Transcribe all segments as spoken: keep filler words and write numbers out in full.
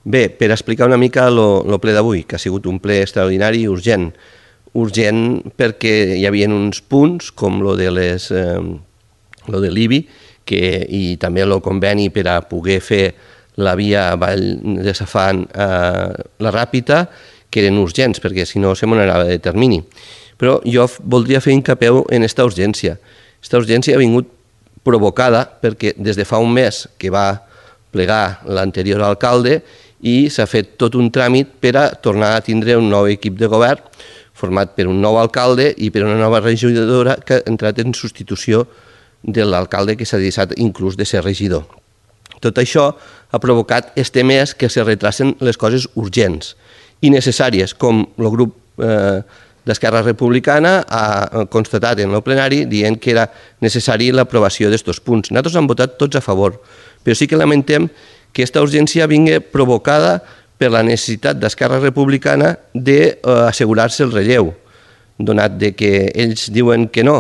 Bé, per explicar una mica el ple d'avui, que ha sigut un ple extraordinari i urgent. Urgent perquè hi havia uns punts, com lo de les, eh, lo de l'I B I, que, i també el conveni per a poder fer la via Vall de Safant a la Ràpita, que eren urgents, perquè si no se m'anava de termini. Però jo voldria fer hincapié en aquesta urgència. Aquesta urgència ha vingut provocada perquè des de fa un mes que va plegar l'anterior alcalde i s'ha fet tot un tràmit per a tornar a tindre un nou equip de govern format per un nou alcalde i per una nova regidora que ha entrat en substitució de l'alcalde que s'ha deixat inclús de ser regidor. Tot això ha provocat este mes que se retracen les coses urgents i necessàries, com el grup eh, d'Esquerra Republicana ha constatat en el plenari dient que era necessari l'aprovació d'aquests punts. Nosaltres hem votat tots a favor, però sí que lamentem que aquesta urgència vingui provocada per la necessitat d'Esquerra Republicana d'assegurar-se el relleu, donat que ells diuen que no,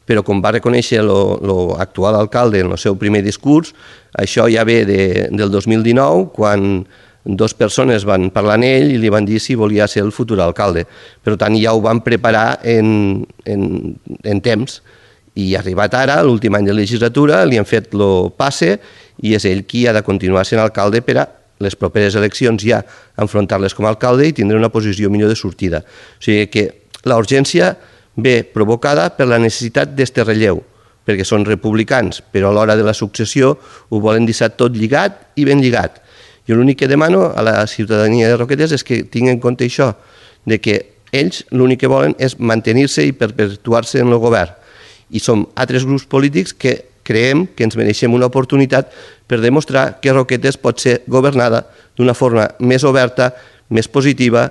però com va reconèixer l'actual alcalde en el seu primer discurs, això ja ve del dos mil dinou, quan dues persones van parlar amb ell i li van dir si volia ser el futur alcalde. Per tant, ja ho van preparar en, en, en temps. I arribat ara, l'últim any de legislatura, li han fet el passe i és ell qui ha de continuar sent alcalde per a les properes eleccions ja enfrontar-les com a alcalde i tindre una posició millor de sortida. O sigui que la urgència ve provocada per la necessitat d'este relleu, perquè són republicans, però a l'hora de la successió ho volen deixar tot lligat i ben lligat. Jo l'únic que demano a la ciutadania de Roquetes és que tingui en compte això, de que ells l'únic que volen és mantenir-se i perpetuar-se en el govern. I som altres grups polítics que creiem que ens mereixem una oportunitat per demostrar que Roquetes pot ser governada d'una forma més oberta, més positiva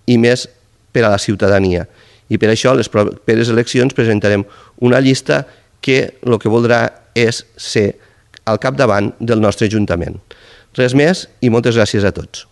i més per a la ciutadania. I per això a les properes eleccions presentarem una llista que el que voldrà és ser al capdavant del nostre Ajuntament. Res més i moltes gràcies a tots.